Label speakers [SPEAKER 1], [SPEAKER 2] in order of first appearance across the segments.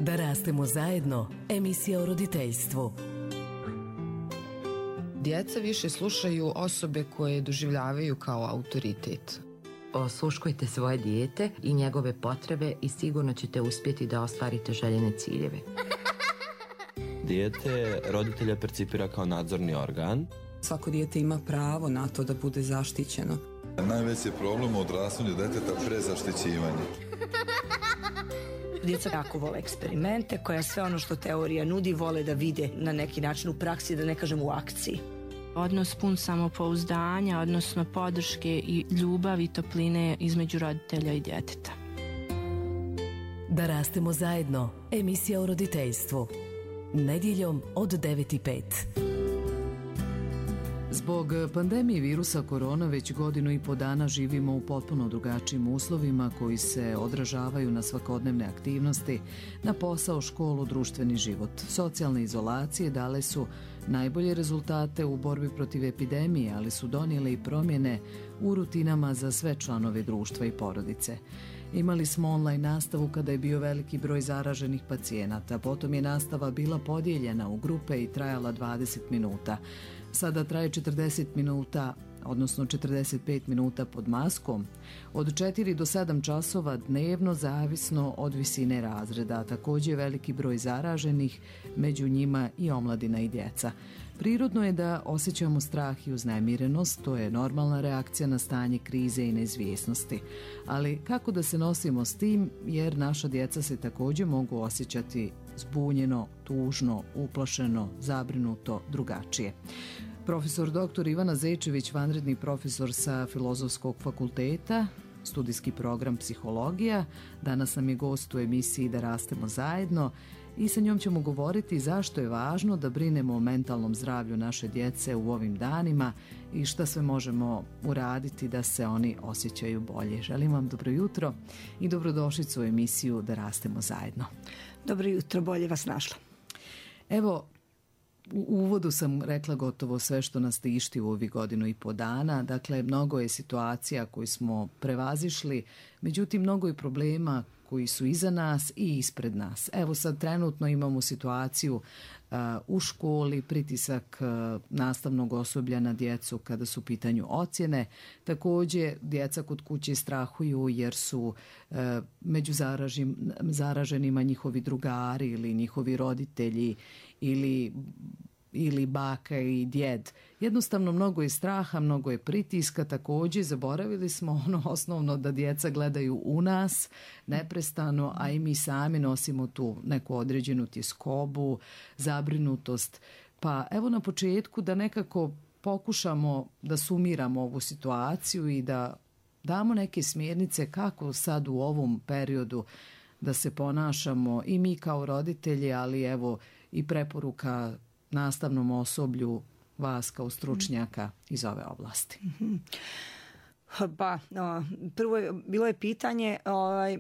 [SPEAKER 1] Da rastemo zajedno, emisija o roditeljstvu.
[SPEAKER 2] Djeca više slušaju osobe koje doživljavaju kao autoritet.
[SPEAKER 3] Osluškujte svoje dijete i njegove potrebe i sigurno ćete uspjeti da ostvarite željene ciljeve.
[SPEAKER 4] Dijete roditelja percipira kao nadzorni organ.
[SPEAKER 5] Svako dijete ima pravo na to da bude zaštićeno.
[SPEAKER 6] Najveći je problem u odrastanju djeteta prezaštićivanje.
[SPEAKER 7] Djeca jako vole eksperimente, koja sve ono što teorija nudi vole da vide na neki način u praksi, da ne kažem u akciji.
[SPEAKER 8] Odnos pun samopouzdanja, odnosno podrške i ljubavi i topline između roditelja i djeteta.
[SPEAKER 1] Da rastemo zajedno, emisija o roditeljstvu. Nedjeljom od 9:05.
[SPEAKER 9] Zbog pandemije virusa korona već 1,5 godine živimo u potpuno drugačijim uslovima koji se odražavaju na svakodnevne aktivnosti, na posao, školu, društveni život. Socijalne izolacije dale su najbolje rezultate u borbi protiv epidemije, ali su donijele i promjene u rutinama za sve članove društva i porodice. Imali smo online nastavu kada je bio veliki broj zaraženih pacijenata, potom je nastava bila podijeljena u grupe i trajala 20 minuta. Sada traje 40 minuta, odnosno 45 minuta pod maskom, od 4 do 7 časova dnevno zavisno od visine razreda, također je veliki broj zaraženih, među njima i omladina i djeca. Prirodno je da osjećamo strah i uznemirenost, to je normalna reakcija na stanje krize i neizvjesnosti. Ali kako da se nosimo s tim, jer naša djeca se također mogu osjećati zbunjeno, tužno, uplašeno, zabrinuto, drugačije. Profesor dr. Ivana Zečević, vanredni profesor sa Filozofskog fakulteta, studijski program psihologija, danas nam je gost u emisiji Da rastemo zajedno i sa njom ćemo govoriti zašto je važno da brinemo o mentalnom zdravlju naše djece u ovim danima i šta sve možemo uraditi da se oni osjećaju bolje. Želim vam dobro jutro i dobrodošlicu u emisiju Da rastemo zajedno.
[SPEAKER 7] Dobro jutro, bolje vas našla.
[SPEAKER 9] Evo, u uvodu sam rekla gotovo sve što nas tišti u ovih 1,5 dana. Dakle, mnogo je situacija koju smo prevazišli, međutim, mnogo je problema koji su iza nas i ispred nas. Evo sad trenutno imamo situaciju u školi, pritisak nastavnog osoblja na djecu kada su u pitanju ocjene. Također, djeca kod kuće strahuju jer su među zaraženima njihovi drugari ili njihovi roditelji ili baka i djed. Jednostavno mnogo je straha, mnogo je pritiska, također zaboravili smo ono osnovno da djeca gledaju u nas neprestano, a i mi sami nosimo tu neku određenu tjeskobu, zabrinutost. Pa evo na početku da nekako pokušamo da sumiramo ovu situaciju i da damo neke smjernice kako sad u ovom periodu da se ponašamo i mi kao roditelji, ali evo i preporuka nastavnom osoblju, vas kao stručnjaka iz ove oblasti.
[SPEAKER 7] Pa, prvo bilo je pitanje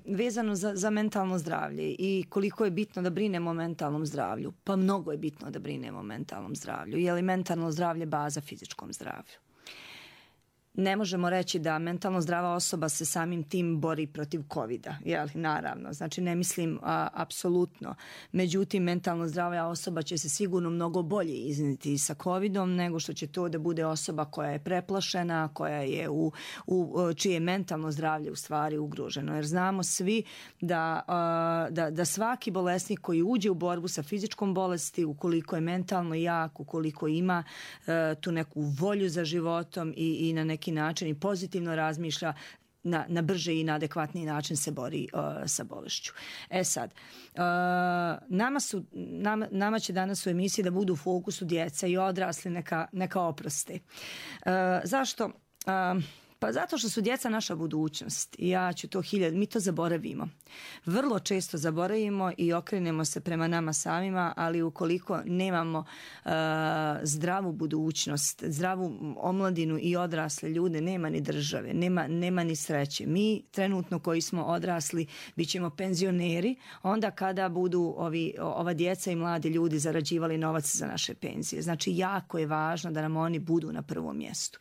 [SPEAKER 7] vezano za mentalno zdravlje i koliko je bitno da brinemo o mentalnom zdravlju. Pa mnogo je bitno da brinemo o mentalnom zdravlju. Je li mentalno zdravlje baza fizičkom zdravlju? Ne možemo reći da mentalno zdrava osoba se samim tim bori protiv covida, jel? Naravno, znači ne mislim apsolutno. Međutim, mentalno zdrava osoba će se sigurno mnogo bolje iznijeti sa covidom nego što će to da bude osoba koja je preplašena, koja je čije je mentalno zdravlje u stvari ugroženo. Jer znamo svi da svaki bolesnik koji uđe u borbu sa fizičkom bolesti, ukoliko je mentalno jak, ukoliko ima tu neku volju za životom i na neki način i pozitivno razmišlja, na brže i na adekvatniji način se bori sa bolešću. Sad, nama će danas u emisiji da budu u fokusu djeca i odrasli neka oproste. Zašto? Pa zato što su djeca naša budućnost i mi to zaboravimo. Vrlo često zaboravimo i okrenemo se prema nama samima, ali ukoliko nemamo zdravu budućnost, zdravu omladinu i odrasle ljude, nema ni države, nema ni sreće. Mi trenutno koji smo odrasli bit ćemo penzioneri onda kada budu ova djeca i mladi ljudi zarađivali novac za naše penzije. Znači jako je važno da nam oni budu na prvom mjestu.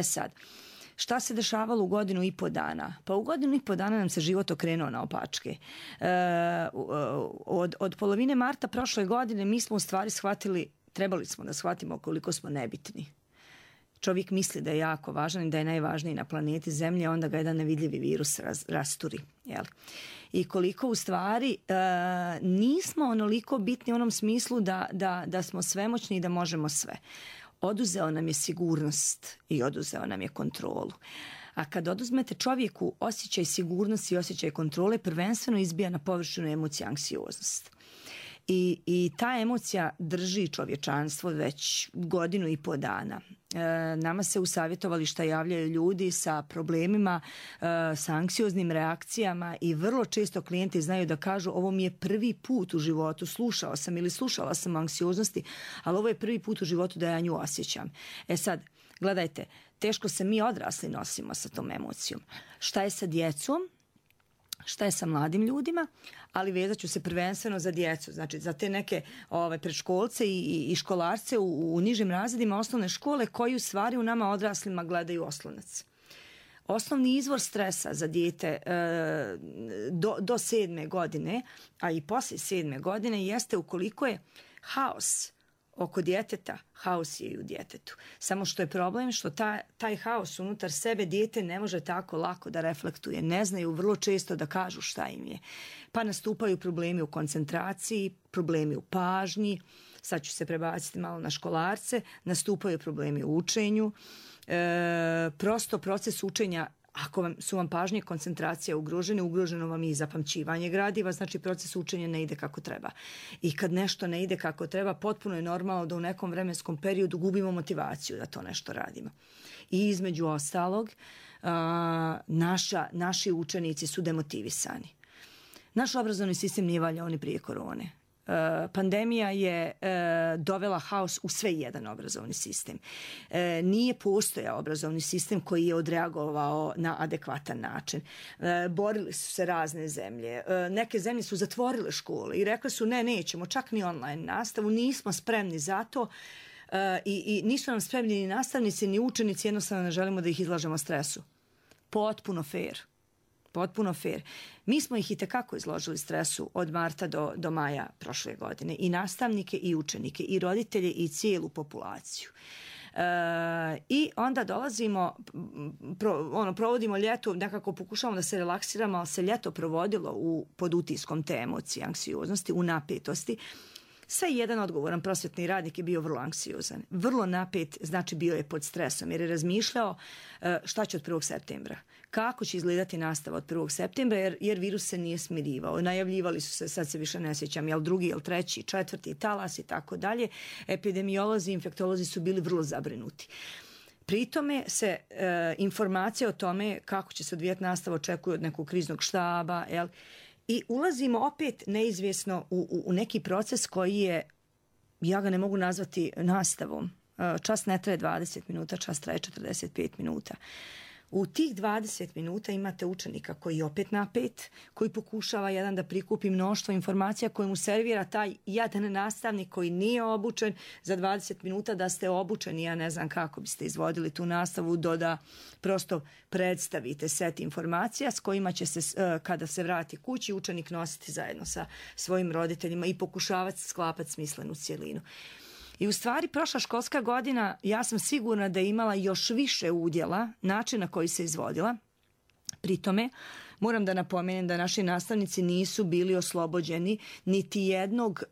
[SPEAKER 7] Sad, Šta se dešavalo u godinu i po dana? Pa u godinu i po dana nam se život okrenuo naopačke. Od polovine marta prošle godine mi smo u stvari shvatili, trebali smo da shvatimo koliko smo nebitni. Čovjek misli da je jako važan i da je najvažniji na planeti Zemlji, a onda ga jedan nevidljivi virus rasturi. Jel? I koliko u stvari nismo onoliko bitni u onom smislu da smo svemoćni i da možemo sve. Oduzeo nam je sigurnost i oduzeo nam je kontrolu. A kad oduzmete čovjeku osjećaj sigurnosti i osjećaj kontrole, prvenstveno izbija na površinu emocija anksioznost. I ta emocija drži čovječanstvo već godinu i po dana. Nama se u savjetovališta javljaju ljudi sa problemima, sa anksioznim reakcijama i vrlo često klijenti znaju da kažu ovo mi je prvi put u životu, slušala sam o anksioznosti, ali ovo je prvi put u životu da ja nju osjećam. Sad, gledajte, teško se mi odrasli nosimo sa tom emocijom. Šta je sa djecom? Šta je sa mladim ljudima, ali vezat ću se prvenstveno za djecu, znači za te neke predškolce i školarce u nižim razredima osnovne škole koji u stvari u nama odraslima gledaju oslonac. Osnovni izvor stresa za dijete do 7. godine, a i poslije 7. godine jeste ukoliko je haos oko djeteta, haos je i u djetetu. Samo što je problem što taj haos unutar sebe dijete ne može tako lako da reflektuje. Ne znaju vrlo često da kažu šta im je. Pa nastupaju problemi u koncentraciji, problemi u pažnji, sad ću se prebaciti malo na školarce, nastupaju problemi u učenju. Prosto proces učenja, ako su vam pažnje i koncentracija ugroženo vam je i zapamćivanje gradiva, znači proces učenja ne ide kako treba. I kad nešto ne ide kako treba, potpuno je normalno da u nekom vremenskom periodu gubimo motivaciju da to nešto radimo. I između ostalog, naši učenici su demotivisani. Naš obrazovni sistem nije valjao ni prije korone. Pandemija je dovela haos u sve jedan obrazovni sistem. Nije postojao obrazovni sistem koji je odreagovao na adekvatan način. Borili su se razne zemlje. Neke zemlje su zatvorile škole i rekli su nećemo čak ni online nastavu, nismo spremni za to. I nisu nam spremni ni nastavnici ni učenici, jednostavno ne želimo da ih izlažemo stresu. Potpuno fair. Mi smo ih itekako izložili stresu od marta do maja prošle godine. I nastavnike i učenike i roditelje i cijelu populaciju. I onda dolazimo, provodimo ljeto, nekako pokušavamo da se relaksiramo, ali se ljeto provodilo pod utiskom te emocije, anksioznosti, u napetosti. Sve jedan odgovoran prosvjetni radnik je bio vrlo anksiozan. Vrlo napet, znači bio je pod stresom jer je razmišljao šta će od 1. septembra. Kako će izgledati nastava od 1. septembra jer virus se nije smirivao. Najavljivali su se, sad se više ne sjećam, jel 2., jel 3., 4. talas i tako dalje. Epidemiolozi, infektolozi su bili vrlo zabrinuti. Pri tome se informacije o tome kako će se odvijati nastava očekuju od nekog kriznog štaba, jel? I ulazimo opet neizvjesno u neki proces koji je, ja ga ne mogu nazvati nastavom. Čas ne traje 20 minuta, čas traje 45 minuta. U tih 20 minuta imate učenika koji je opet napet, koji pokušava jedan da prikupi mnoštvo informacija koje mu servira taj jedan nastavnik koji nije obučen. Za 20 minuta da ste obučeni, ja ne znam kako biste izvodili tu nastavu, da prosto predstavite set informacija s kojima će se, kada se vrati kući, učenik nositi zajedno sa svojim roditeljima i pokušavati sklapati smislenu cjelinu. I u stvari prošla školska godina, ja sam sigurna da je imala još više udjela načina koji se izvodila. Pri tome moram da napomenem da naši nastavnici nisu bili oslobođeni niti jednog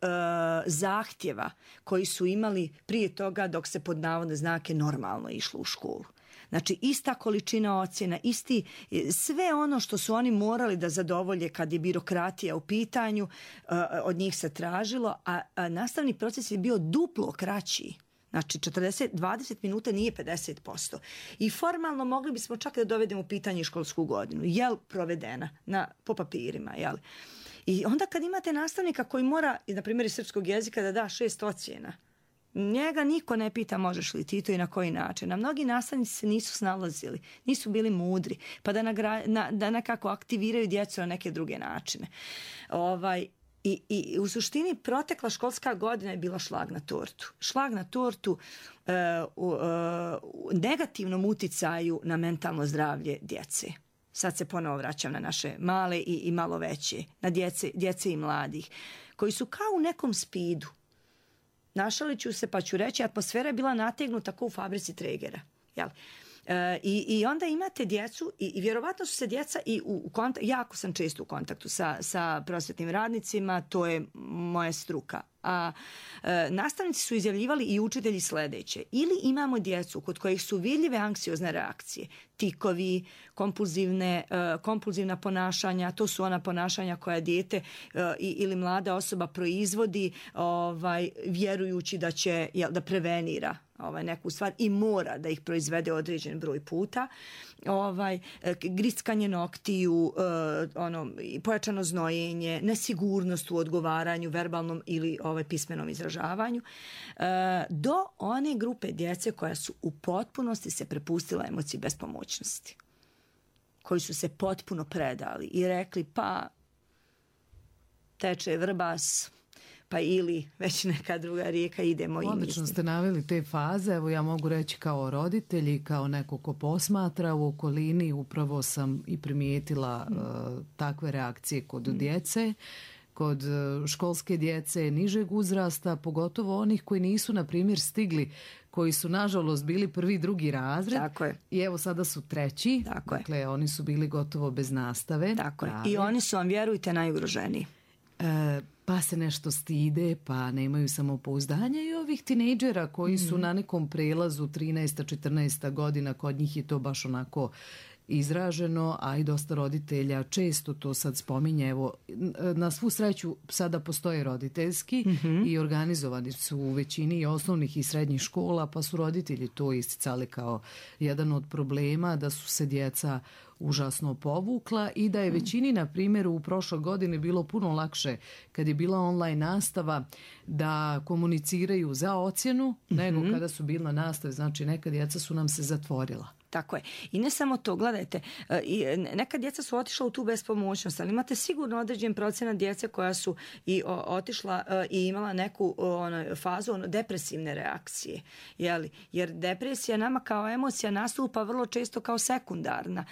[SPEAKER 7] zahtjeva koji su imali prije toga dok se pod navodne znake normalno išlo u školu. Znači ista količina ocjena, sve ono što su oni morali da zadovolje kad je birokratija u pitanju, od njih se tražilo, a nastavni proces je bio duplo kraći. Znači 20 minuta nije 50%. I formalno mogli bismo čak da dovedemo u pitanje školsku godinu. Jel provedena po papirima, jel? I onda kad imate nastavnika koji mora, na primjer iz srpskog jezika, da da 6 ocjena, njega niko ne pita možeš li ti to i na koji način. A mnogi nastavnici se nisu snalazili, nisu bili mudri, pa da nekako aktiviraju djecu na neke druge načine. I u suštini protekla školska godina je bila šlag na tortu. Šlag na tortu u negativnom uticaju na mentalno zdravlje djece. Sad se ponovo vraćam na naše male i malo veće, na djece i mladih, koji su kao u nekom spidu. Našalit ću se pa ću reći, atmosfera je bila nategnuta kao u fabrici Tregera. Jel? I onda imate djecu i vjerovatno su se djeca i jako sam često u kontaktu sa prosvetnim radnicima, to je moja struka. A nastavnici su izjavljivali i učitelji sledeće. Ili imamo djecu kod kojih su vidljive anksiozne reakcije, tikovi, kompulzivna ponašanja, to su ona ponašanja koja dijete ili mlada osoba proizvodi vjerujući da će da prevenira neku stvar i mora da ih proizvede određen broj puta. Grickanje noktiju, pojačano znojenje, nesigurnost u odgovaranju, verbalnom ili pismenom izražavanju, do one grupe djece koja su u potpunosti se prepustila emociji bespomoćnosti, koji su se potpuno predali i rekli pa teče Vrbas, pa ili već neka druga rijeka, idemo i mislim.
[SPEAKER 9] Odlično ste naveli te faze, evo ja mogu reći kao roditelj i kao neko ko posmatra u okolini, upravo sam i primijetila takve reakcije kod djece, kod školske djece nižeg uzrasta, pogotovo onih koji nisu, na primjer, stigli, koji su nažalost bili prvi, drugi razred.
[SPEAKER 7] Tako je.
[SPEAKER 9] I evo sada su treći.
[SPEAKER 7] Tako
[SPEAKER 9] dakle,
[SPEAKER 7] je.
[SPEAKER 9] Oni su bili gotovo bez nastave.
[SPEAKER 7] Tako je. I oni su vam, vjerujte, najugroženiji.
[SPEAKER 9] Pa se nešto stide, pa nemaju samopouzdanja i ovih tinejdžera koji su na nekom prelazu 13. 14. godina, kod njih je to baš onako izraženo, a i dosta roditelja često to sad spominje. Evo, na svu sreću sada postoje roditeljski i organizovani su u većini osnovnih i srednjih škola, pa su roditelji to isticali kao jedan od problema, da su se djeca užasno povukla i da je većini, na primjer, u prošloj godini bilo puno lakše kad je bila online nastava da komuniciraju za ocjenu nego kada su bili na nastavi. Znači, neka djeca su nam se zatvorila.
[SPEAKER 7] Tako je. I ne samo to, gledajte, neka djeca su otišla u tu bespomoćnost, ali imate sigurno određen procenat djece koja su i otišla i imala neku fazu depresivne reakcije. Jer depresija nama kao emocija nastupa vrlo često kao sekundarna.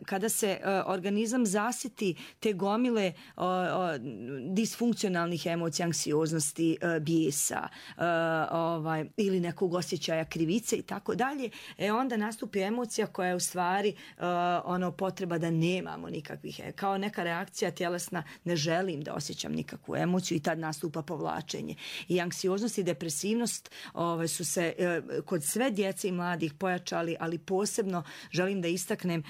[SPEAKER 7] Kada se organizam zasiti te gomile disfunkcionalnih emocija, anksioznosti, bijesa ili nekog osjećaja krivice i tako dalje, onda nastupi emocija koja je u stvari potreba da nemamo nikakvih, kao neka reakcija tjelesna, ne želim da osjećam nikakvu emociju i tad nastupa povlačenje. I anksioznost i depresivnost su se kod sve djece i mladih pojačali, ali posebno želim da istaknem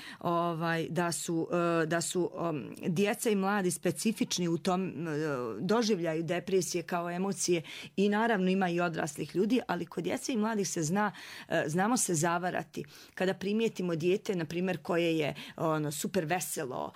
[SPEAKER 7] da su djeca i mladi specifični u tom doživljaju depresije kao emocije i naravno ima i odraslih ljudi, ali kod djece i mladih se znamo se zavarati. Kada primijetimo dijete, na primjer, koje je super veselo,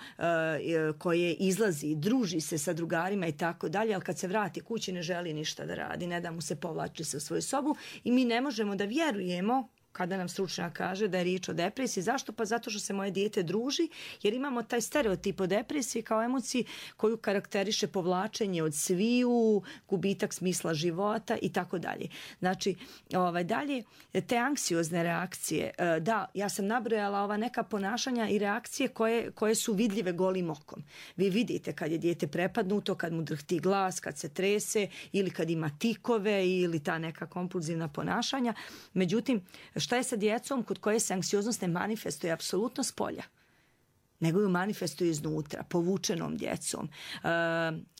[SPEAKER 7] koje izlazi, druži se sa drugarima i tako dalje, ali kad se vrati kući ne želi ništa da radi, ne da mu se povlači se u svoju sobu i mi ne možemo da vjerujemo kada nam stručnjak kaže da je riječ o depresiji. Zašto? Pa zato što se moje dijete druži, jer imamo taj stereotip o depresiji kao emociji koju karakteriše povlačenje od sviju, gubitak smisla života i tako dalje. Znači, dalje, te anksiozne reakcije, da, ja sam nabrojala ova neka ponašanja i reakcije koje su vidljive golim okom. Vi vidite kad je dijete prepadnuto, kad mu drhti glas, kad se trese ili kad ima tikove ili ta neka kompulzivna ponašanja. Međutim, šta je sa djecom kod koje se anksioznost ne manifestuje apsolutno s polja, nego ju manifestuje iznutra, povučenom djecom.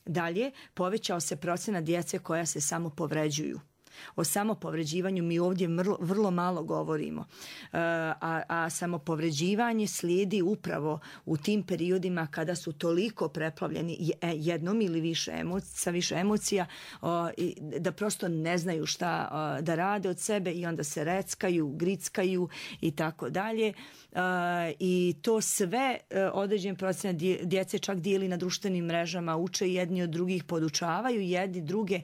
[SPEAKER 7] Dalje, povećao se procenat djece koja se samo povređuju. O samopovređivanju mi ovdje vrlo malo govorimo, a samopovređivanje slijedi upravo u tim periodima kada su toliko preplavljeni jednom ili sa više emocija da prosto ne znaju šta da rade od sebe i onda se reckaju, grickaju i tako dalje. I to sve određen procenat djece čak dijeli na društvenim mrežama, uče jedni od drugih, podučavaju jedni druge.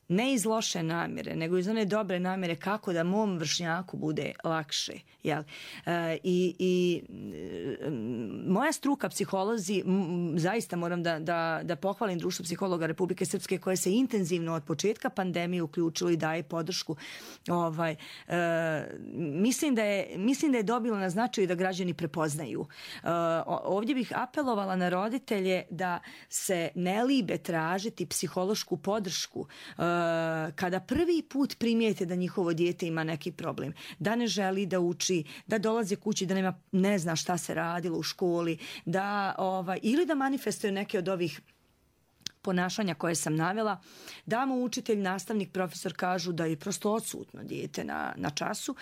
[SPEAKER 7] ne iz loše namjere, nego iz one dobre namjere kako da mom vršnjaku bude lakše. Jel? I moja struka, psiholozi, zaista moram da pohvalim Društvo psihologa Republike Srpske koje se intenzivno od početka pandemije uključilo i daje podršku. Mislim da je dobilo na značaju da građani prepoznaju. Ovdje bih apelovala na roditelje da se ne libe tražiti psihološku podršku kada prvi put primijete da njihovo dijete ima neki problem, da ne želi da uči, da dolazi kući, da ne zna šta se radilo u školi, ili da manifestuje neke od ovih ponašanja koje sam navela, da mu učitelj, nastavnik, profesor kažu da je prosto odsutno dijete na času.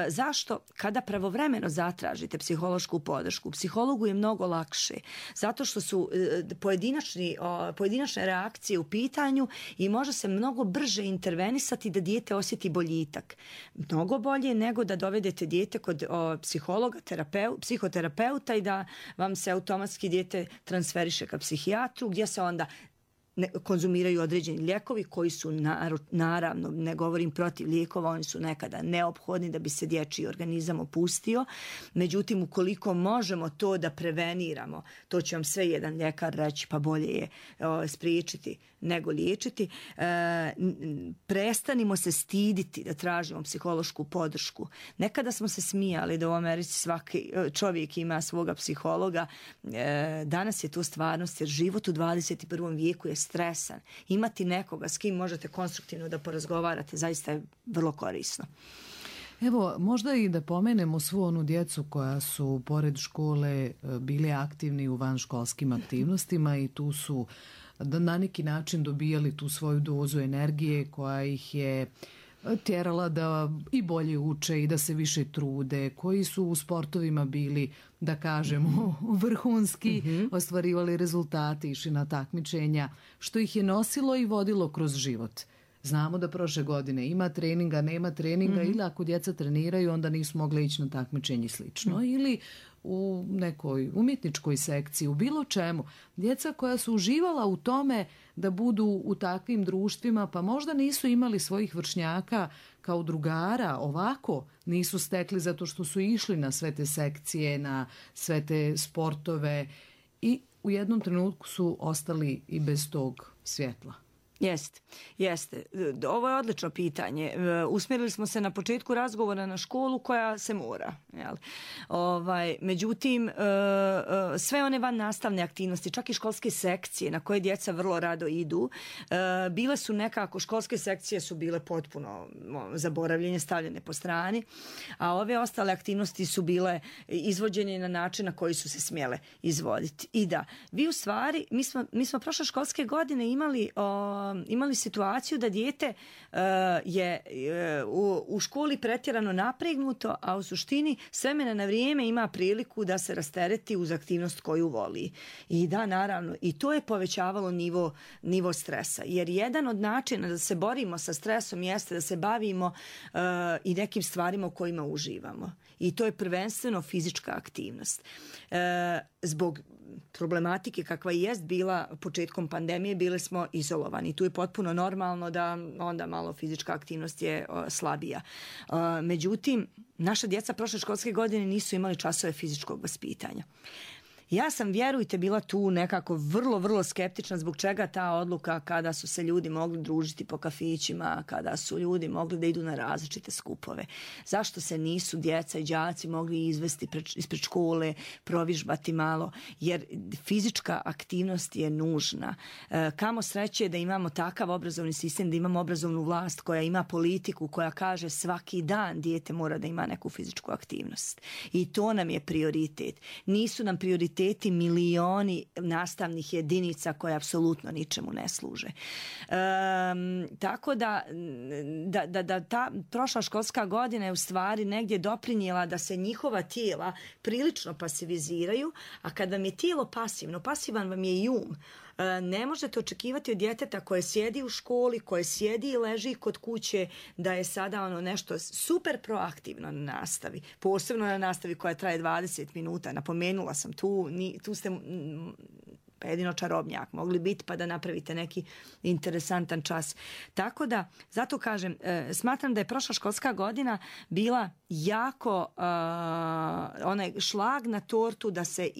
[SPEAKER 7] Zašto? Kada pravovremeno zatražite psihološku podršku, psihologu je mnogo lakše, zato što su pojedinačne reakcije u pitanju i može se mnogo brže intervenisati da dijete osjeti boljitak. Mnogo bolje nego da dovedete dijete kod psihologa, psihoterapeuta i da vam se automatski dijete transferiše ka psihijatru, gdje se onda konzumiraju određeni lijekovi koji su naravno, ne govorim protiv lijekova, oni su nekada neophodni da bi se dječji organizam opustio. Međutim, ukoliko možemo to da preveniramo, to će vam sve jedan ljekar reći, pa bolje je spriječiti nego liječiti. Prestanimo se stiditi da tražimo psihološku podršku. Nekada smo se smijali da u Americi svaki čovjek ima svoga psihologa. Danas je to stvarnost jer život u 21. vijeku je stresan. Imati nekoga s kim možete konstruktivno da porazgovarate zaista je vrlo korisno.
[SPEAKER 9] Evo, možda i da pomenemo svu onu djecu koja su pored škole bili aktivni u vanškolskim aktivnostima i tu su na neki način dobijali tu svoju dozu energije koja ih je tjerala da i bolje uče i da se više trude, koji su u sportovima bili, da kažemo, vrhunski, ostvarivali rezultate, išli na takmičenja, što ih je nosilo i vodilo kroz život. Znamo da prošle godine ima treninga, nema treninga ili ako djeca treniraju onda nisu mogle ići na takmičenje i slično. Ili u nekoj umjetničkoj sekciji, u bilo čemu. Djeca koja su uživala u tome da budu u takvim društvima pa možda nisu imali svojih vršnjaka kao drugara, ovako nisu stekli zato što su išli na sve te sekcije, na sve te sportove i u jednom trenutku su ostali i bez tog svjetla.
[SPEAKER 7] Jeste. Ovo je odlično pitanje. Usmjerili smo se na početku razgovora na školu koja se mora. Jel? Međutim, sve one van nastavne aktivnosti, čak i školske sekcije na koje djeca vrlo rado idu, bile su nekako, školske sekcije su bile potpuno zaboravljene, stavljene po strani, a ove ostale aktivnosti su bile izvođene na način na koji su se smjele izvoditi. I da, vi u stvari, mi smo prošle školske godine imali situaciju da dijete je u školi pretjerano napregnuto, a u suštini s vremena na vrijeme ima priliku da se rastereti uz aktivnost koju voli. I da, naravno, i to je povećavalo nivo stresa. Jer jedan od načina da se borimo sa stresom jeste da se bavimo i nekim stvarima u kojima uživamo. I to je prvenstveno fizička aktivnost. Zbog problematike kakva i jest bila početkom pandemije, bili smo izolovani. Tu je potpuno normalno da onda malo fizička aktivnost je slabija. Međutim, naša djeca prošle školske godine nisu imali časove fizičkog vaspitanja. Ja sam, vjerujte, bila tu nekako vrlo, vrlo skeptična zbog čega ta odluka kada su se ljudi mogli družiti po kafićima, kada su ljudi mogli da idu na različite skupove. Zašto se nisu djeca i đaci mogli izvesti ispred škole, provižbati malo, jer fizička aktivnost je nužna. Kamo sreće da imamo takav obrazovni sistem, da imamo obrazovnu vlast koja ima politiku, koja kaže svaki dan dijete mora da ima neku fizičku aktivnost. I to nam je prioritet. Nisu nam prioriteti milioni nastavnih jedinica koje apsolutno ničemu ne služe. Tako da ta prošla školska godina je u stvari negdje doprinijela da se njihova tijela prilično pasiviziraju, a kad vam je tijelo pasivno, pasivan vam je i um. Ne možete očekivati od djeteta koje sjedi u školi, koje sjedi i leži kod kuće, da je sada nešto super proaktivno na nastavi. Posebno na nastavi koja traje 20 minuta. Napomenula sam, tu ste pa jedino čarobnjak mogli biti pa da napravite neki interesantan čas. Tako da, zato kažem, smatram da je prošla školska godina bila jako onaj šlag na tortu da se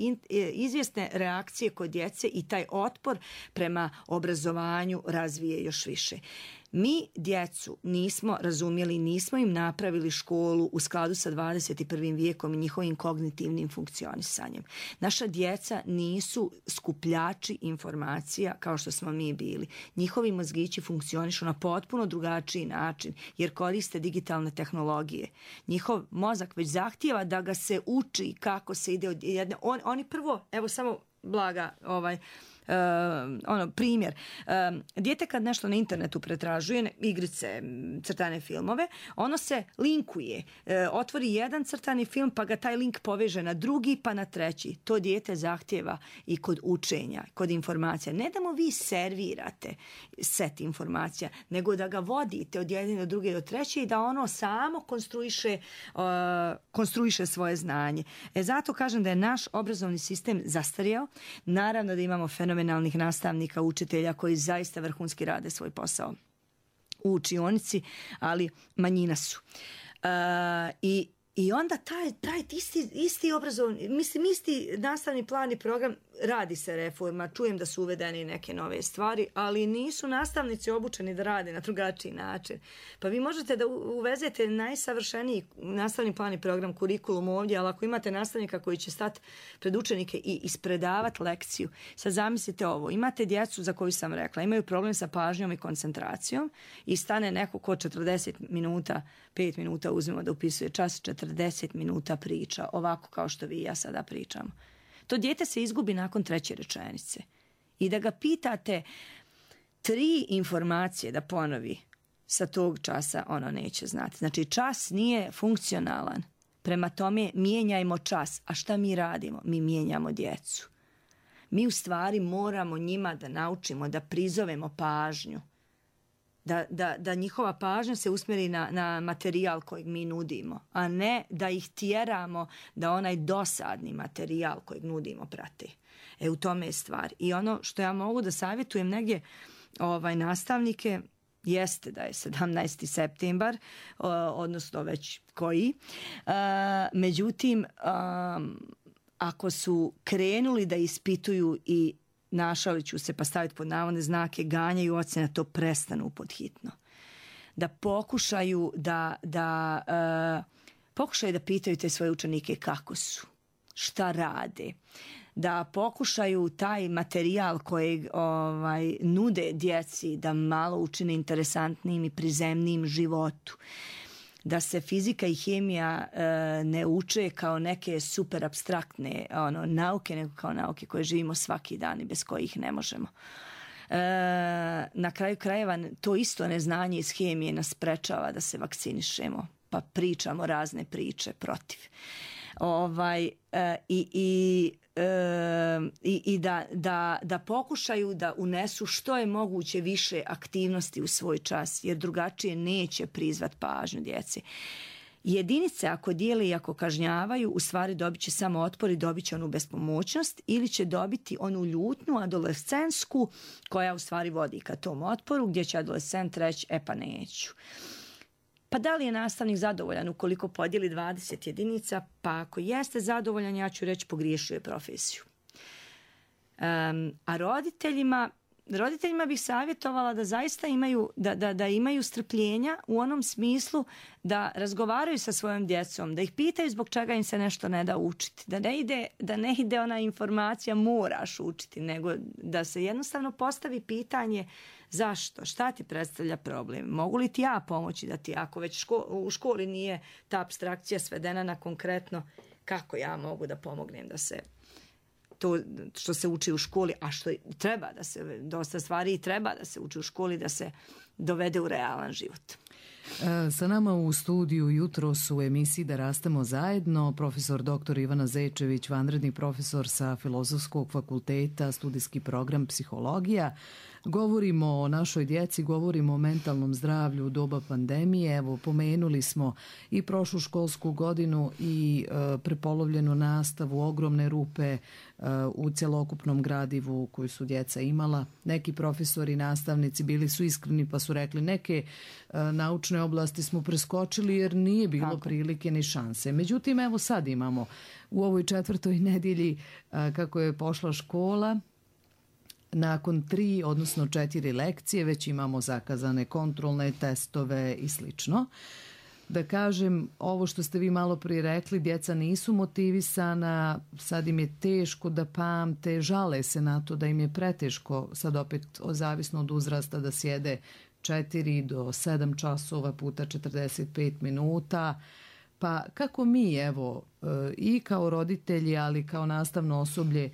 [SPEAKER 7] izvjesne reakcije kod djece i taj otpor prema obrazovanju razvije još više. Mi djecu nismo razumjeli, nismo im napravili školu u skladu sa 21. vijekom i njihovim kognitivnim funkcionisanjem. Naša djeca nisu skupljači informacija kao što smo mi bili. Njihovi mozgići funkcionišu na potpuno drugačiji način jer koriste digitalne tehnologije. Njihov mozak već zahtijeva da ga se uči kako se ide od jedne. Oni prvo, evo samo blaga primjer. Dijete kad nešto na internetu pretražuje, igrice, crtane filmove, ono se linkuje. Otvori jedan crtani film pa ga taj link poveže na drugi pa na treći. To dijete zahtjeva i kod učenja, kod informacija. Ne da mu vi servirate set informacija, nego da ga vodite od jedne do druge do treće i da ono samo konstruiše svoje znanje. Zato kažem da je naš obrazovni sistem zastarjeo. Naravno da imamo fenomenalnih nastavnika, učitelja koji zaista vrhunski rade svoj posao u učionici, ali manjina su. I onda taj isti obrazovni, mislim isti nastavni plan i program, radi se reforma, čujem da su uvedene neke nove stvari, ali nisu nastavnici obučeni da rade na drugačiji način. Pa vi možete da uvezete najsavršeniji nastavni plan i program, kurikulum ovdje, ali ako imate nastavnika koji će stati pred učenike i ispredavati lekciju, sad zamislite ovo, imate djecu za koju sam rekla, imaju problem sa pažnjom i koncentracijom i stane neko ko 40 minuta, 5 minuta uzmemo da upisuje čas, 40 minuta priča, ovako kao što vi i ja sada pričamo. To dijete se izgubi nakon 3. rečenice. I da ga pitate 3 informacije da ponovi sa tog časa, ono neće znati. Znači, čas nije funkcionalan. Prema tome, mijenjajmo čas. A šta mi radimo? Mi mijenjamo djecu. Mi u stvari moramo njima da naučimo, da prizovemo pažnju. Da njihova pažnja se usmjeri na materijal kojeg mi nudimo, a ne da ih tjeramo da onaj dosadni materijal kojeg nudimo prate. U tome je stvar. I ono što ja mogu da savjetujem negdje nastavnike jeste da je 17. septembar, odnosno već koji. Međutim, ako su krenuli da ispituju i našalit ću se pa staviti pod navodne znake, ganjaju ocjene, to prestanu podhitno. Da pokušaju pokušaju da pitaju te svoje učenike kako su, šta rade, da pokušaju taj materijal kojeg nude djeci da malo učine interesantnim i prizemnim životu. Da se fizika i hemija ne uče kao neke super apstraktne nauke, nego kao nauke koje živimo svaki dan i bez kojih ne možemo. Na kraju krajeva to isto neznanje iz hemije nas sprečava da se vakcinišemo, pa pričamo razne priče protiv. I da pokušaju da unesu što je moguće više aktivnosti u svoj čas, jer drugačije neće prizvat pažnju djece. Jedinice ako dijele i ako kažnjavaju, u stvari dobit će samo otpor i dobit će onu bespomoćnost ili će dobiti onu ljutnju adolescentsku koja u stvari vodi ka tom otporu, gdje će adolescent reći pa neću. Pa da li je nastavnik zadovoljan ukoliko podijeli 20 jedinica? Pa ako jeste zadovoljan, ja ću reći pogriješio je profesiju. A roditeljima bih savjetovala da zaista imaju strpljenja u onom smislu da razgovaraju sa svojom djecom, da ih pitaju zbog čega im se nešto ne da učiti, da ne ide ona informacija moraš učiti, nego da se jednostavno postavi pitanje zašto, šta ti predstavlja problem, mogu li ti ja pomoći da ti, ako već u školi nije ta apstrakcija svedena na konkretno, kako ja mogu da pomognem da se to što se uči u školi, a što treba da se, dosta stvari i treba da se uči u školi, da se dovede u realan život.
[SPEAKER 9] Sa nama u studiju jutros u emisiji Da rastemo zajedno profesor dr. Ivana Zečević, vanredni profesor sa Filozofskog fakulteta, studijski program psihologija. Govorimo o našoj djeci, govorimo o mentalnom zdravlju u doba pandemije. Evo, pomenuli smo i prošlu školsku godinu i prepolovljenu nastavu, ogromne rupe u cjelokupnom gradivu koju su djeca imala. Neki profesori i nastavnici bili su iskreni pa su rekli neke naučne oblasti smo preskočili jer nije bilo prilike ni šanse. Međutim, evo sad imamo u ovoj 4. nedjelji kako je pošla škola, nakon 3, odnosno 4 lekcije već imamo zakazane kontrolne testove i slično. Da kažem, ovo što ste vi malo prije rekli, djeca nisu motivisana, sad im je teško da pamte, žale se na to da im je preteško, sad opet zavisno od uzrasta, da sjede 4 do 7 časova puta 45 minuta. Pa kako mi, evo, i kao roditelji, ali kao nastavno osoblje,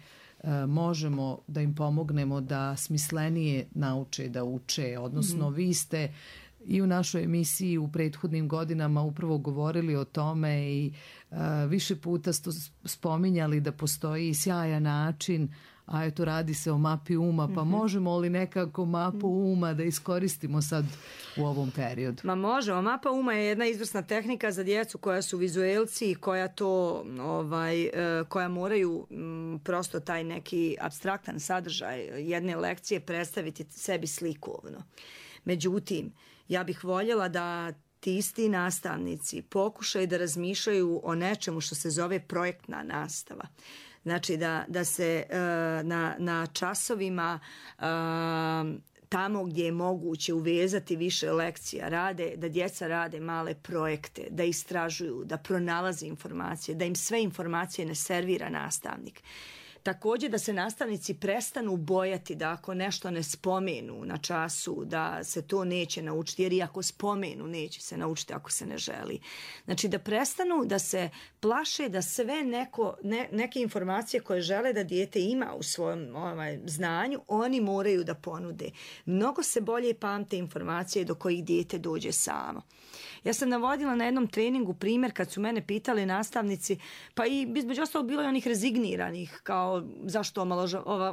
[SPEAKER 9] možemo da im pomognemo da smislenije nauče da uče, odnosno vi ste i u našoj emisiji u prethodnim godinama upravo govorili o tome i više puta ste spominjali da postoji sjajan način, a eto radi se o mapi uma, pa možemo li nekako mapu uma da iskoristimo sad u ovom periodu?
[SPEAKER 7] Ma možemo. Mapa uma je jedna izvrsna tehnika za djecu koja su vizuelci i koja to, koja moraju prosto taj neki apstraktan sadržaj jedne lekcije predstaviti sebi slikovno. Međutim, ja bih voljela da ti isti nastavnici pokušaju da razmišljaju o nečemu što se zove projektna nastava. Znači da se na časovima tamo gdje je moguće uvezati više lekcija da djeca rade male projekte, da istražuju, da pronalaze informacije, da im sve informacije ne servira nastavnik. Također da se nastavnici prestanu bojati da ako nešto ne spomenu na času, da se to neće naučiti, jer i ako spomenu neće se naučiti ako se ne želi. Znači da prestanu da se plaše da sve neke informacije koje žele da dijete ima u svojem znanju, oni moraju da ponude. Mnogo se bolje pamte informacije do kojih dijete dođe samo. Ja sam navodila na jednom treningu primjer kad su mene pitali nastavnici, pa i između ostalog bilo je onih rezigniranih, kao zašto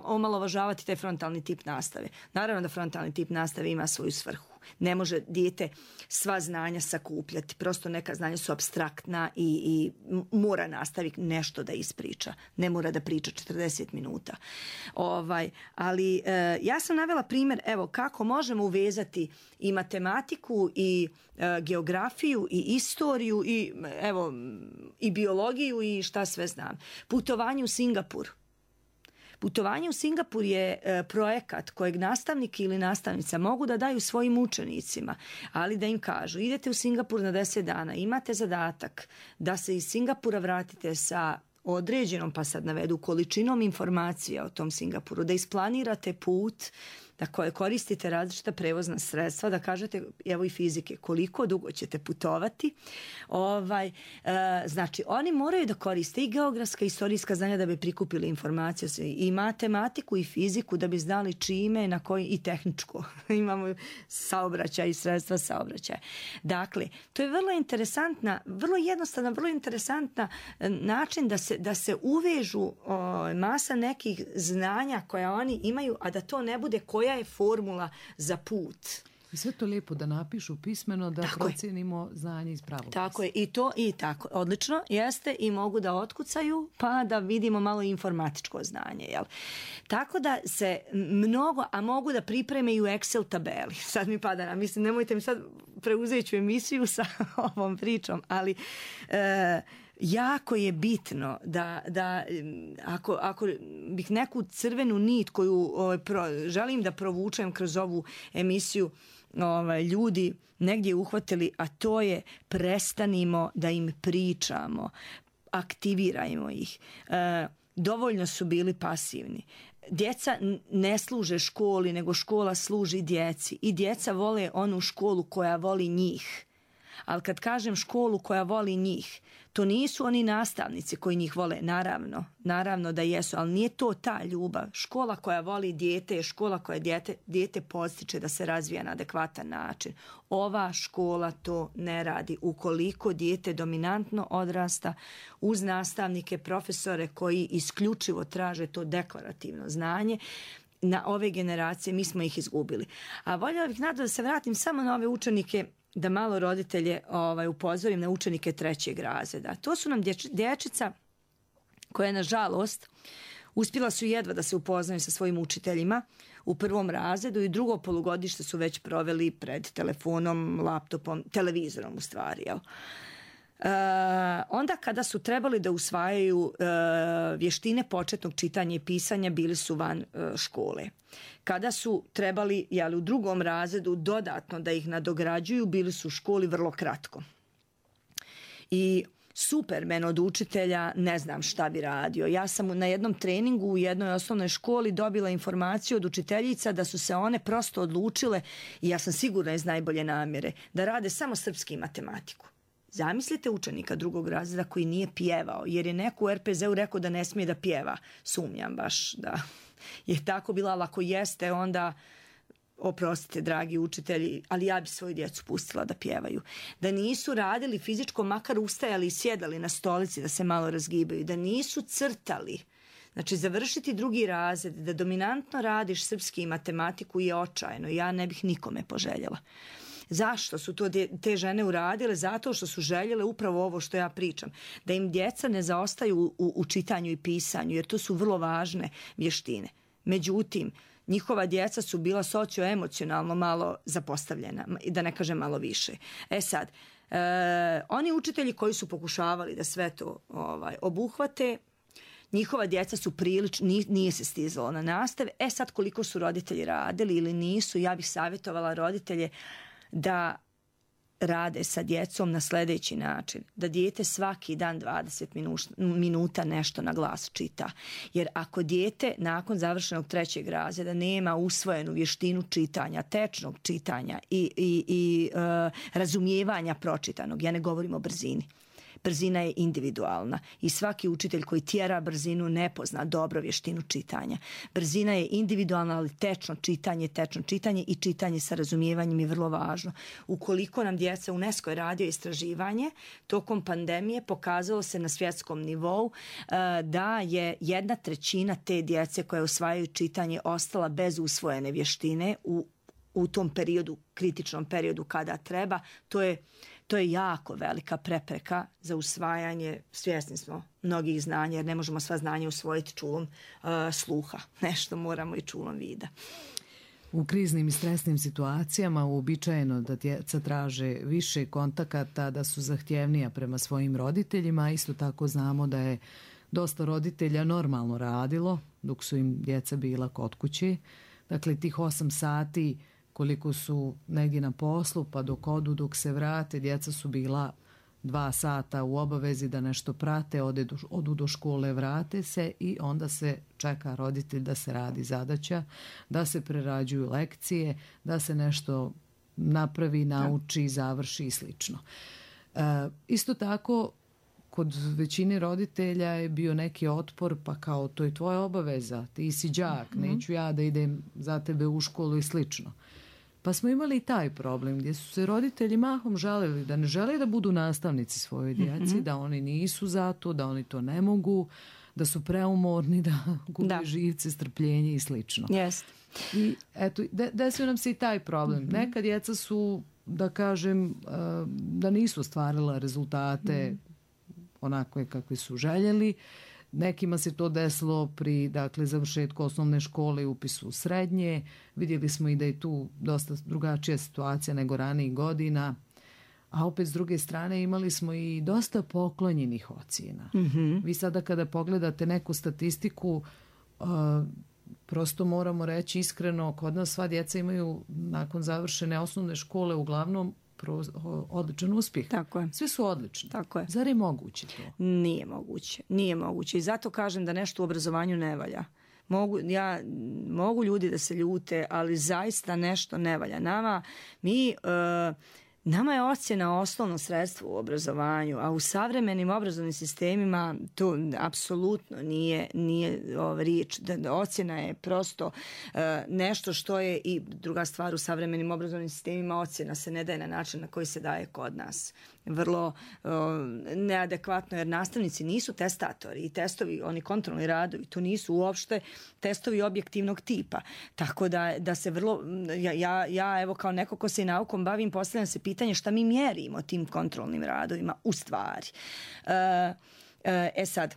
[SPEAKER 7] omalovažavati taj frontalni tip nastave. Naravno da frontalni tip nastave ima svoju svrhu. Ne može dijete sva znanja sakupljati. Prosto neka znanja su apstraktna i mora nastavnik nešto da ispriča. Ne mora da priča 40 minuta. Ali ja sam navela primjer kako možemo uvezati i matematiku i geografiju i istoriju i biologiju i šta sve znam. Putovanje u Singapur. Putovanje u Singapur je projekat kojeg nastavnik ili nastavnica mogu da daju svojim učenicima, ali da im kažu idete u Singapur na 10 dana, imate zadatak da se iz Singapura vratite sa određenom, pa sad navedu, količinom informacija o tom Singapuru, da isplanirate put, da koristite različita prevozna sredstva, da kažete, evo i fizike, koliko dugo ćete putovati. Znači, oni moraju da koriste i geografska i istorijska znanja da bi prikupili informacije, i matematiku i fiziku da bi znali čime, na koji, i tehničko. Imamo saobraćaj i sredstva saobraćaja. Dakle, to je vrlo interesantna, vrlo jednostavna, vrlo interesantna način da se uvežu masa nekih znanja koja oni imaju, a da to ne bude koja je formula za put.
[SPEAKER 9] I sve to lijepo da napišu pismeno, da procijenimo znanje iz pravog.
[SPEAKER 7] Tako je, i tako. Odlično, jeste, i mogu da otkucaju, pa da vidimo malo informatičko znanje. Jel? Tako da se mnogo, a mogu da pripreme i u Excel tabeli. Sad mi pada na, mislim, nemojte mi sad preuzeti ću emisiju sa ovom pričom, ali jako je bitno da ako bih neku crvenu nit koju želim da provučem kroz ovu emisiju, ljudi negdje uhvatili, a to je prestanimo da im pričamo, aktivirajmo ih. Dovoljno su bili pasivni. Djeca ne služe školi, nego škola služi djeci, i djeca vole onu školu koja voli njih. Ali kad kažem školu koja voli njih, to nisu oni nastavnici koji njih vole, naravno da jesu, ali nije to ta ljubav. Škola koja voli dijete je škola koja dijete podstiče da se razvija na adekvatan način. Ova škola to ne radi. Ukoliko dijete dominantno odrasta uz nastavnike, profesore koji isključivo traže to deklarativno znanje, na ove generacije mi smo ih izgubili. A voljela bih da se vratim samo na ove učenike, da malo roditelje upozorim na učenike 3. razreda. To su nam dječica koja, nažalost, Uspjela su jedva da se upoznaju sa svojim učiteljima u prvom razredu i drugo polugodište su već proveli pred telefonom, laptopom, televizorom u stvari, jel? Onda kada su trebali da usvajaju vještine početnog čitanja i pisanja, bili su van škole. Kada su trebali u drugom razredu dodatno da ih nadograđuju, bili su u školi vrlo kratko. I Supermen od učitelja, ne znam šta bi radio. Ja sam na jednom treningu u jednoj osnovnoj školi dobila informaciju od učiteljica da su se one prosto odlučile, i ja sam sigurna iz najbolje namjere, da rade samo srpski i matematiku. Zamislite učenika drugog razreda koji nije pjevao, jer je neko u RPZ-u rekao da ne smije da pjeva. Sumnjam baš da je tako bila, ali ako jeste, onda oprostite, dragi učitelji, ali ja bi svoju djecu pustila da pjevaju. Da nisu radili fizičko, makar ustajali i sjedali na stolici da se malo razgibaju, da nisu crtali. Znači, završiti drugi razred, da dominantno radiš srpski i matematiku je očajno. Ja ne bih nikome poželjela. Zašto su to te žene uradile? Zato što su željele upravo ovo što ja pričam. Da im djeca ne zaostaju u čitanju i pisanju, jer to su vrlo važne vještine. Međutim, njihova djeca su bila socioemocionalno malo zapostavljena, da ne kažem malo više. Sad, oni učitelji koji su pokušavali da sve to obuhvate, njihova djeca su prilično, nije se stizalo na nastave. Sad, koliko su roditelji radili ili nisu, ja bih savjetovala roditelje da rade sa djecom na sljedeći način. Da dijete svaki dan 20 minuta nešto na glas čita. Jer ako dijete nakon završenog 3. razreda nema usvojenu vještinu čitanja, tečnog čitanja i razumijevanja pročitanog, ja ne govorim o brzini. Brzina je individualna i svaki učitelj koji tjera brzinu ne pozna dobro vještinu čitanja. Brzina je individualna, ali tečno čitanje i čitanje sa razumijevanjem je vrlo važno. Ukoliko nam djeca, UNESCO je radio istraživanje, tokom pandemije pokazalo se na svjetskom nivou da je 1/3 te djece koje usvajaju čitanje ostala bez usvojene vještine u tom periodu, kritičnom periodu kada treba. To je jako velika prepreka za usvajanje, svjesni smo, mnogih znanja, jer ne možemo sva znanja usvojiti čulom sluha. Nešto moramo i čulom vida.
[SPEAKER 9] U kriznim i stresnim situacijama uobičajeno da djeca traže više kontakata, da su zahtjevnija prema svojim roditeljima. Isto tako znamo da je dosta roditelja normalno radilo dok su im djeca bila kod kuće. Dakle, tih 8 sati koliko su negdje na poslu, pa dok odu, dok se vrate, djeca su bila 2 sata u obavezi da nešto prate, odu do škole, vrate se i onda se čeka roditelj da se radi zadaća, da se prerađuju lekcije, da se nešto napravi, nauči, završi i slično. Isto tako, kod većine roditelja je bio neki otpor, pa kao to je tvoja obaveza, ti si đak, neću ja da idem za tebe u školu i slično. Pa smo imali i taj problem gdje su se roditelji mahom žalili da ne žele da budu nastavnici svojoj djeci, da oni nisu za to, da oni to ne mogu, da su preumorni, da gube živce, strpljenje i slično.
[SPEAKER 7] Yes.
[SPEAKER 9] I eto, desio nam se i taj problem. Neka djeca su, da kažem, da nisu ostvarila rezultate onakve kakve su željeli. Nekima se to desilo pri završetku osnovne škole i upisu u srednje. Vidjeli smo i da je tu dosta drugačija situacija nego ranijih godina. A opet s druge strane imali smo i dosta poklonjenih ocjena. Vi sada kada pogledate neku statistiku, prosto moramo reći iskreno, kod nas sva djeca imaju nakon završene osnovne škole uglavnom odličan uspjeh. Tako je. Svi su odlični.
[SPEAKER 7] Tako je.
[SPEAKER 9] Zar je moguće to?
[SPEAKER 7] Nije moguće. Nije moguće. I zato kažem da nešto u obrazovanju ne valja. Mogu ljudi da se ljute, ali zaista nešto ne valja. Nama je ocjena osnovno sredstvo u obrazovanju, a u savremenim obrazovnim sistemima to apsolutno nije riječ. Ocjena je prosto nešto što je i druga stvar u savremenim obrazovnim sistemima. Ocjena se ne daje na način na koji se daje kod nas. Vrlo neadekvatno, jer nastavnici nisu testatori i testovi, oni kontrolni radovi, to nisu uopšte testovi objektivnog tipa. Tako da se vrlo, ja evo kao neko ko se i naukom bavim, postavljam se pitanje šta mi mjerimo tim kontrolnim radovima u stvari. Sad,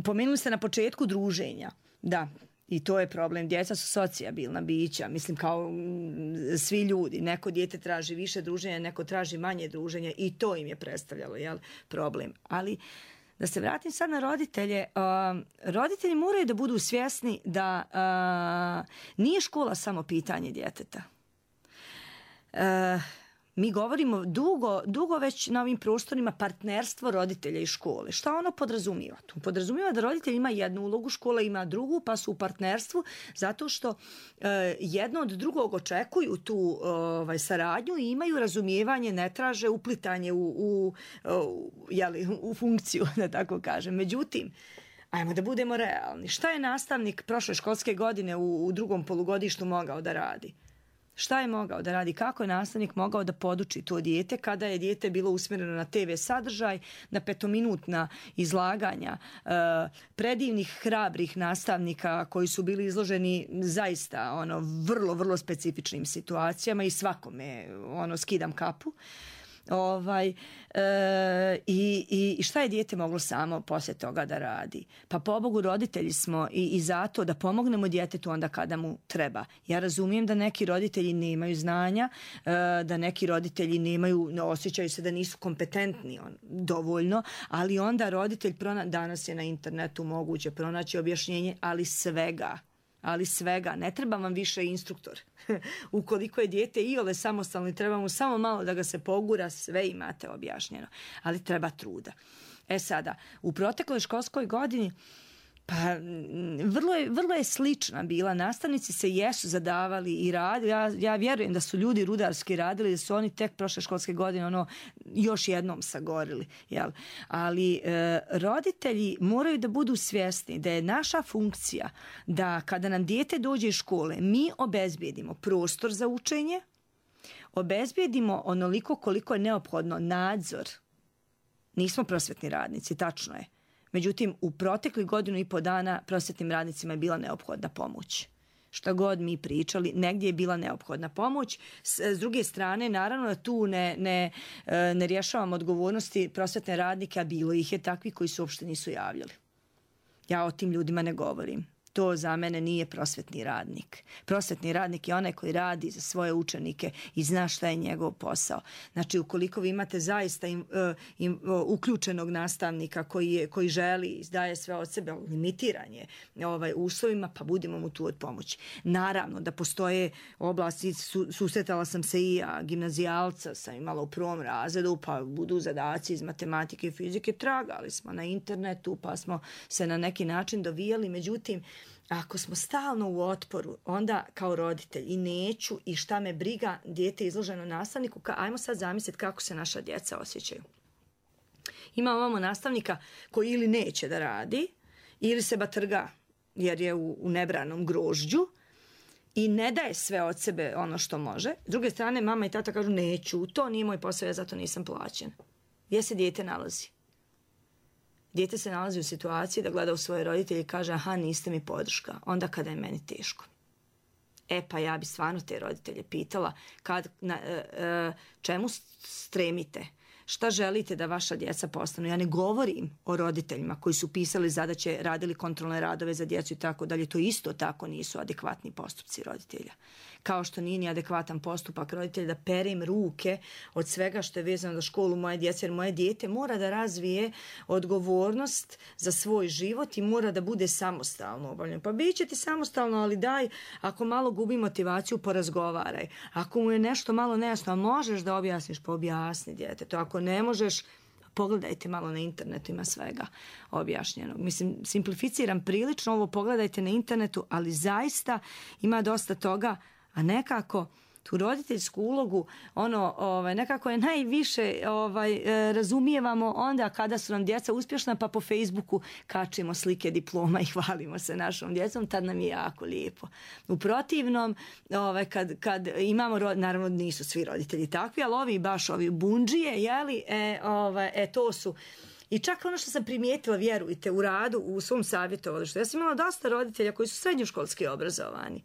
[SPEAKER 7] Pomenuli ste na početku druženja. Da, i to je problem. Djeca su socijabilna bića, mislim kao svi ljudi. Neko dijete traži više druženja, neko traži manje druženja i to im je predstavljalo problem. Ali da se vratim sad na roditelje, roditelji moraju da budu svjesni da nije škola samo pitanje djeteta. Mi govorimo dugo već na ovim prostorima partnerstvo roditelja i škole. Šta ono podrazumijeva? To podrazumijeva da roditelj ima jednu ulogu, škola ima drugu, pa su u partnerstvu zato što jedno od drugog očekuju tu saradnju i imaju razumijevanje, ne traže uplitanje u funkciju, da tako kažem. Međutim, ajmo da budemo realni. Šta je nastavnik prošle školske godine u drugom polugodištu mogao da radi? Šta je mogao da radi? Kako je nastavnik mogao da poduči to dijete kada je dijete bilo usmjereno na TV sadržaj, na 5-minutna izlaganja predivnih, hrabrih nastavnika koji su bili izloženi zaista vrlo, vrlo specifičnim situacijama i svakome skidam kapu. I šta je dijete moglo samo poslije toga da radi? Pa pobogu roditelji smo i zato da pomognemo djetetu onda kada mu treba. Ja razumijem da neki roditelji nemaju znanja, da neki roditelji osjećaju se da nisu kompetentni dovoljno, ali onda roditelj danas je na internetu moguće pronaći objašnjenje, ali svega, ne treba vam više instruktor. Ukoliko je dijete iole samostalno i treba mu samo malo da ga se pogura, sve imate objašnjeno. Ali treba truda. Sada, u protekloj školskoj godini vrlo je slična bila. Nastavnici se jesu zadavali i radili. Ja vjerujem da su ljudi rudarski radili, da su oni tek prošle školske godine još jednom sagorili. Ali roditelji moraju da budu svjesni da je naša funkcija da kada nam dijete dođe iz škole, mi obezbijedimo prostor za učenje, obezbijedimo onoliko koliko je neophodno nadzor. Nismo prosvetni radnici, tačno je. Međutim, u proteklih 1.5 godina prosvetnim radnicima je bila neophodna pomoć. Šta god mi pričali, negdje je bila neophodna pomoć. S druge strane, naravno da tu ne rješavam odgovornosti prosvetne radnike, a bilo ih je takvi koji se uopšte nisu javljali. Ja o tim ljudima ne govorim. To za mene nije prosvetni radnik. Prosvetni radnik je onaj koji radi za svoje učenike i zna šta je njegov posao. Znači, ukoliko vi imate zaista uključenog nastavnika koji želi, izdaje sve od sebe, limitiran je uslovima, pa budimo mu tu od pomoći. Naravno da postoje oblasti, susretala sam se i ja, gimnazijalca sam imala u 1. razredu, pa budu zadaci iz matematike i fizike, tragali smo na internetu, pa smo se na neki način dovijali, međutim, ako smo stalno u otporu, onda kao roditelj i neću i šta me briga, dijete izloženo nastavniku, ajmo sad zamisliti kako se naša djeca osjećaju. Imamo nastavnika koji ili neće da radi, ili se batrga jer je u nebranom grožđu i ne daje sve od sebe ono što može. S druge strane, mama i tata kažu neću, to nije moj posao, ja zato nisam plaćen. Gdje se dijete nalazi? Dijete se nalazi u situaciji da gleda u svoje roditelje i kaže aha, niste mi podrška, onda kada je meni teško. Pa ja bi stvarno te roditelje pitala čemu stremite, šta želite da vaša djeca postanu. Ja ne govorim o roditeljima koji su pisali zadaće, radili kontrolne radove za djecu i tako dalje. To isto tako nisu adekvatni postupci roditelja. Kao što nije ni adekvatan postupak roditelja da perem ruke od svega što je vezano za školu moje djece, jer moje dijete mora da razvije odgovornost za svoj život i mora da bude samostalno obavljeno. Pa bit će ti samostalno, ali daj, ako malo gubi motivaciju, porazgovaraj. Ako mu je nešto malo nejasno, a možeš da objasniš, pa objasni djetetu. Ako ne možeš, pogledajte malo na internetu, ima svega objašnjenog. Mislim, simplificiram prilično ovo, pogledajte na internetu, ali zaista ima dosta toga, a nekako tu roditeljsku ulogu nekako je najviše razumijevamo onda kada su nam djeca uspješna, pa po Facebooku kačimo slike diploma i hvalimo se našom djecom, tad nam je jako lijepo. U protivnom, kad imamo, naravno nisu svi roditelji takvi, ali ovi bundžije, to su. I čak ono što sam primijetila, vjerujte, u radu, u svom savjetovalištu, ja sam imala dosta roditelja koji su srednjoškolski obrazovani,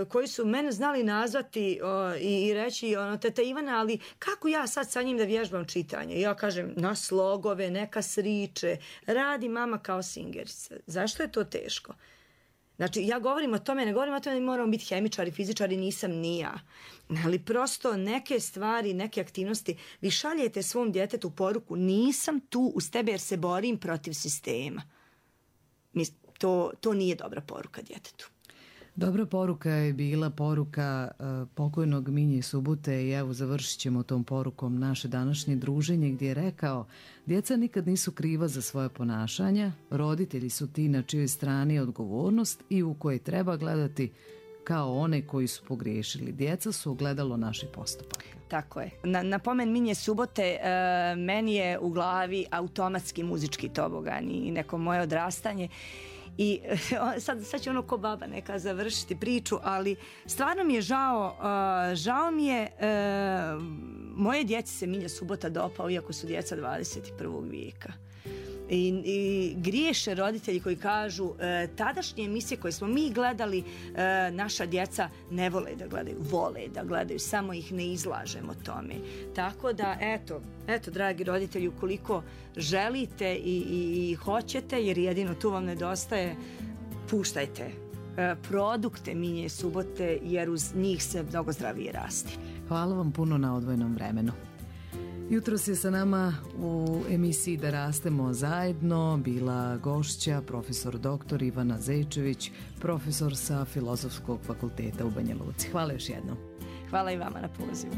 [SPEAKER 7] koji su mene znali nazvati i reći teta Ivana, ali kako ja sad sa njim da vježbam čitanje? Ja kažem na slogove, neka sriče, radi mama kao singerica. Zašto je to teško? Znači, ja govorim o tome, ne govorim o tome da moramo biti hemičari, fizičari, nisam ni ja. Ali prosto neke stvari, neke aktivnosti, vi šaljete svom djetetu poruku, nisam tu uz tebe jer se borim protiv sistema. To nije dobra poruka djetetu.
[SPEAKER 9] Dobra poruka je bila poruka pokojnog Minje Subote i evo završit ćemo tom porukom naše današnje druženje gdje je rekao: djeca nikad nisu kriva za svoje ponašanja, roditelji su ti na čijoj strani je odgovornost i u koje treba gledati kao one koji su pogriješili. Djeca su ogledalo naših postupaka.
[SPEAKER 7] Tako je. Na pomen Minje Subote meni je u glavi automatski muzički tobogan i neko moje odrastanje. I sad će ono ko baba neka završiti priču, ali stvarno mi je žao mi je, moje djeci se Minja Subota dopao, iako su djeca 21. vijeka. I griješe roditelji koji kažu tadašnje emisije koje smo mi gledali, naša djeca ne vole da gledaju, vole da gledaju, samo ih ne izlažemo tome. Tako da eto dragi roditelji, ukoliko želite i hoćete, jer jedino tu vam nedostaje, puštajte produkte Minje Subote, jer uz njih se mnogo zdravije rasti.
[SPEAKER 9] Hvala vam puno na odvojenom vremenu. Jutros je sa nama u emisiji Da rastemo zajedno bila gošća profesor dr. Ivana Zečević, profesor sa Filozofskog fakulteta u Banja Luci. Hvala još jednom.
[SPEAKER 7] Hvala i vama na pozivu.